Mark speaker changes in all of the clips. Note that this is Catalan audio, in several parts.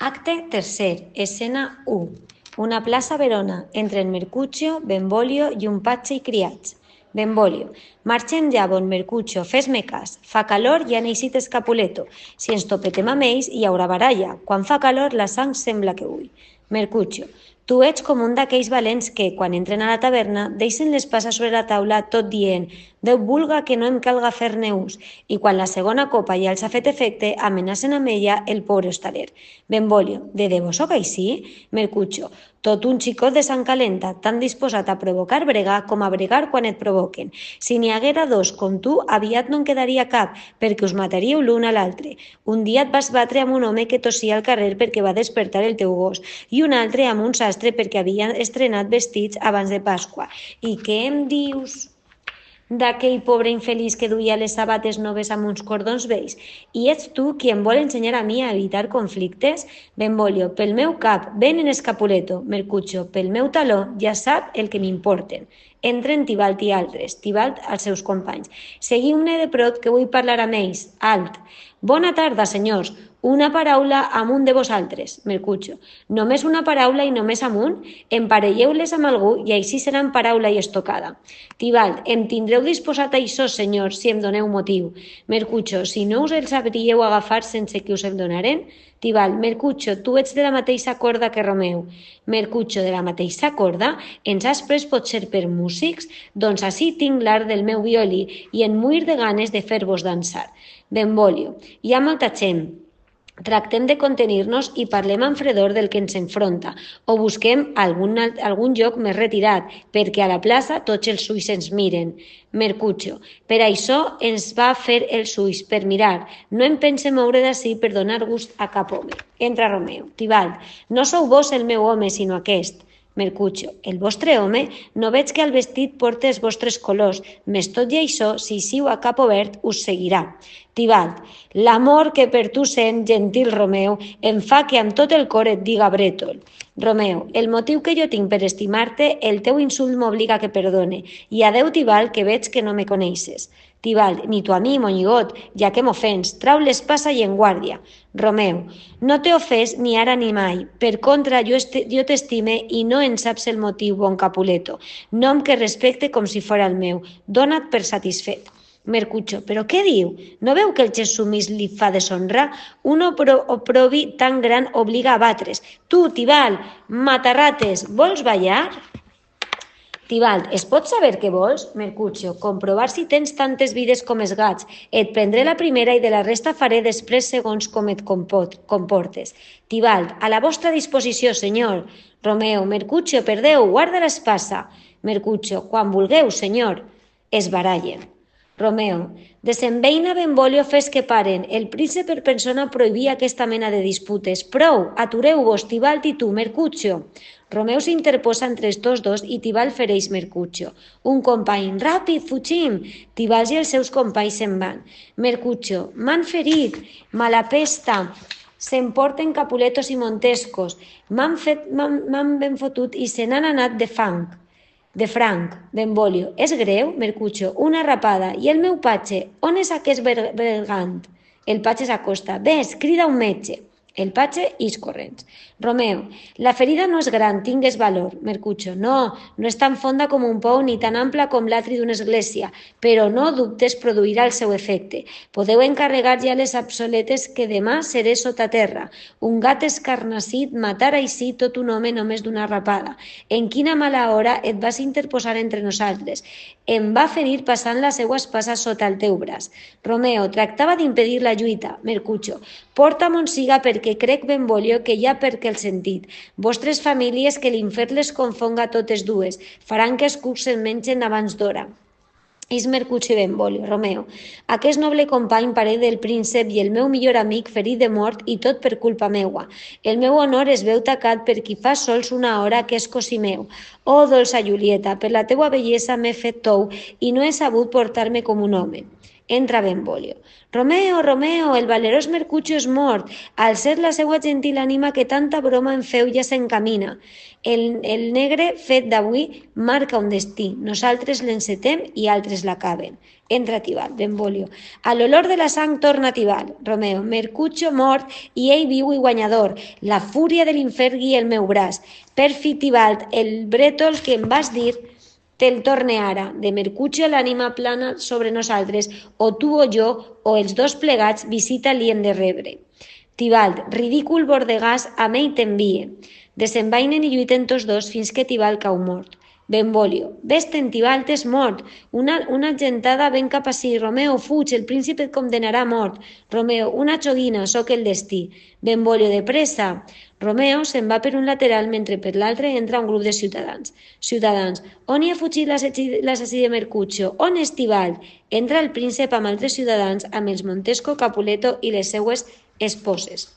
Speaker 1: Acte tercer, escena 1. Una plaça a Verona, entre en Mercutio, Benvolio i un patge i criats. Benvolio, marxem ja, bon Mercutio, fes-me cas. Fa calor i han eixit Escapuleto. Si ens topetem amb ells, hi haurà baralla. Quan fa calor, la sang sembla que hui. Mercutio, tu ets com un d'aquells valents que, quan entren a la taverna, deixen l'espasa sobre la taula tot dient «Déu vulga que no em calga fer-ne ús», i quan la segona copa ja els ha fet efecte, amenacen amb ella el pobre hostaler. Benvolio, de debò sóc així? Mercutio, tot un xicot de sang calenta, tan disposat a provocar bregar com a bregar quan et provoquen. Si n'hi haguera dos com tu, aviat no en quedaria cap, perquè us mataríeu l'un a l'altre. Un dia et vas batre amb un home que tossia al carrer perquè va despertar el teu gos, i un altre amb un sastre perquè havia estrenat vestits abans de Pasqua. I què em dius d'aquell pobre infeliç que duia les sabates noves amb uns cordons vells? I ets tu qui em vol ensenyar a mi a evitar conflictes? Benvolio, pel meu cap, ven en Escapuleto. Mercutio, pel meu taló, ja sap el que m'importen. Entren Tibalt i altres, Tibalt als seus companys. Seguiu-ne de prop que vull parlar amb ells. Alt. Bona tarda, senyors. Una paraula amb un de vosaltres. Mercutio, només una paraula i només amb un? Emparelleu-les amb algú i així seran paraula i estocada. Tibalt, em tindreu disposat a això, senyors, si em doneu motiu. Mercutio, si no us els sabríeu agafar sense que us el donaren? Tibalt, Mercutio, tu ets de la mateixa corda que Romeu. Mercutio, de la mateixa corda? Ens has pres potser per músics? Doncs ací tinc l'art del meu violí i en muir de ganes de fer-vos dansar. Benvolio, hi ha molta gent. Tractem de contenir-nos i parlem amb fredor del que ens enfronta, o busquem algun lloc més retirat, perquè a la plaça tots els ulls ens miren. Mercutio, per això ens va fer els ulls, per mirar. No em pense moure d'ací per donar gust a cap home. Entra Romeu. Tibalt, no sou vos el meu home, sinó aquest. Mercutio, el vostre home? No veig que al vestit porte els vostres colors, més tot i això, si siu a cap obert, us seguirà. Tibalt, l'amor que per tu sent, gentil Romeu, em fa que amb tot el cor et diga brètol. Romeu, el motiu que jo tinc per estimar-te, el teu insult m'obliga que perdone, i adeu Tibalt, que veig que no me coneixes. Tibalt, ni tu a mi, monyigot, ja que m'ofens, trau l'espasa i en guàrdia. Romeu, no t'he ofès ni ara ni mai, per contra jo t'estime i no en saps el motiu, bon Capuleto, nom que respecte com si fora el meu, dona't per satisfet. Mercutio, però què diu? No veu que el gest sumís li fa deshonra? Un oprobi tan gran obliga a batre's. Tu, Tibalt, matarrates, vols ballar? Tibalt, es pot saber què vols? Mercutio, comprovar si tens tantes vides com els gats. Et prendré la primera i de la resta faré després segons com et comportes. Tibalt, a la vostra disposició, senyor. Romeu, Mercutio, perdeu, guarda l'espasa. Mercutio, quan vulgueu, senyor. Es barallen. Romeu, desembeina Benvolio, fes que paren. El príncep per persona prohibia aquesta mena de disputes. Prou, atureu-vos, Tibalt i tu, Mercutio. Romeu s'interposa entre els tots dos i Tibalt fereix Mercutio. Un company, ràpid, fugim! Tibalt i els seus companys se'n van. Mercutio, m'han ferit, mala pesta, s'emporten Capuletos i Montescos, m'han ben fotut i se n'han anat de franc. Benvolio, és greu? Mercutio, una rapada. I el meu patge, on és aquest bergant? El patge s'acosta. Ves, crida un metge. El patge ix corrents. Romeu, la ferida no és gran, tingues valor. Mercutio, no és tan fonda com un pou ni tan ampla com l'atri d'una església, però no dubtes produirà el seu efecte. Podeu encarregar ja les absoletes que demà seré sota terra. Un gat escarnassit matar així tot un home només d'una rapada. En quina mala hora et vas interposar entre nosaltres. Em va ferir passant la seua espasa sota el teu braç. Romeo, tractava d'impedir la lluita. Mercutio, porta monsiga perquè crec Benvolio que hi ha perquè el sentit. Vostres famílies que l'infern les confonga totes dues. Faran que els cucs se'n mengen abans d'hora. És Mercutio i Benvolio. Romeu, aquest noble company parell del príncep i el meu millor amic ferit de mort i tot per culpa meua. El meu honor es veu tacat per qui fa sols una hora que és cosí meu. Oh, dolça Julieta, per la teua bellesa m'he fet tou i no he sabut portar-me com un home. Entra Benvolio. Romeo, Romeo, el valerós Mercutio és mort. Al ser la seua gentil ànima que tanta broma en feu ja s'encamina. El negre fet d'avui marca un destí. Nosaltres l'encetem i altres l'acaben. Entra Tibalt, Benvolio. A l'olor de la sang torna Tibalt. Romeo, Mercutio mort i ell viu i guanyador. La fúria de l'infern guia el meu braç. Perfid Tibalt, el brètol que em vas dir te'l torne ara. De Mercutio l'ànima plana sobre nosaltres, o tu o jo, o els dos plegats, visita li hem de rebre. Tibalt, ridícul bordegàs, amb ell t'envie. Desenvainen i lluiten tots dos fins que Tibalt cau mort. Benvolio, vés-te'n, Tibalt és mort. Una gentada ven cap ací. Romeo, fuig, el príncipe et condemnarà a mort. Romeo, una joguina, soc el destí. Benvolio, de pressa. Romeo se'n va per un lateral mentre per l'altre entra un grup de ciutadans. Ciutadans, on hi ha fugit l'assassí de Mercutio? On és Tibalt? Entra el príncep amb altres ciutadans, amb els Montesco, Capuleto i les seues esposes.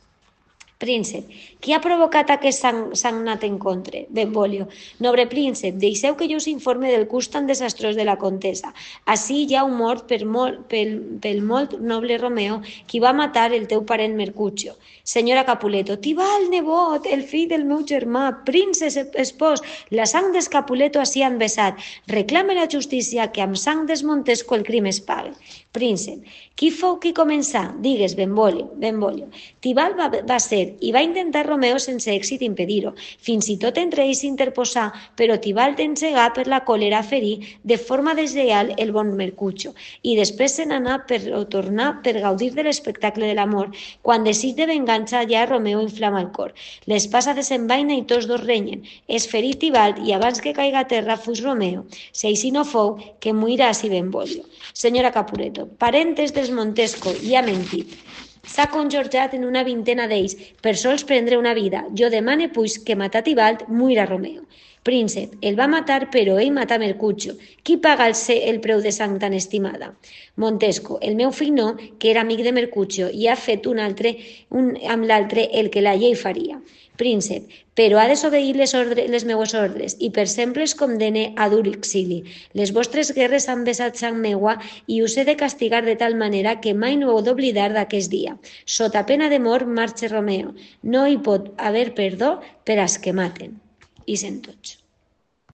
Speaker 1: Príncep, qui ha provocat aquest sagnat encontre? Benvolio, nobre príncep, deixeu que jo us informe del curs tan desastrós de la contesa. Ací hi ha un mort pel molt noble Romeo, qui va matar el teu parent Mercutio. Senyora Capuleto, Tibalt, nebot, el fill del meu germà, príncep espòs, la sang dels Capuleto ací han vessat. Reclame la justícia que amb sang des Montesco el crim es pague. Príncep, qui fou qui començà? Digues, Benvolio. Tibalt va ser i va intentar Romeo sense èxit impedir-ho. Fins i tot entre ells s'interposà, però Tibalt encegà per la còlera ferir de forma deslleial el bon Mercutio i després se n'anà per tornar per gaudir de l'espectacle de l'amor. Quan desig de vengança ja Romeo inflama el cor. L'espasa desenvaina i tots dos renyen. És ferit Tibalt i abans que caiga a terra fuig Romeo. Si així no fou, que morirà si Benvolio. Senyora Capuleto, parentes dels Montesco, i ha mentit. S'ha conjorjat en una vintena d'ells per sols prendre una vida. Jo demane, pues, que matar Tibalt muira Romeo. Príncep, el va matar, però ell mata Mercutio. Qui paga el preu de sang tan estimada? Montesco, el meu fill no, que era amic de Mercutio i ha fet amb l'altre el que la llei faria. Príncep, però ha desobeït les meues ordres i per sempre es condene a dur exili. Les vostres guerres han vessat sang meua i us he de castigar de tal manera que mai no heu d'oblidar d'aquest dia. Sota pena de mort marxa Romeo. No hi pot haver perdó per als que maten. I sent tots.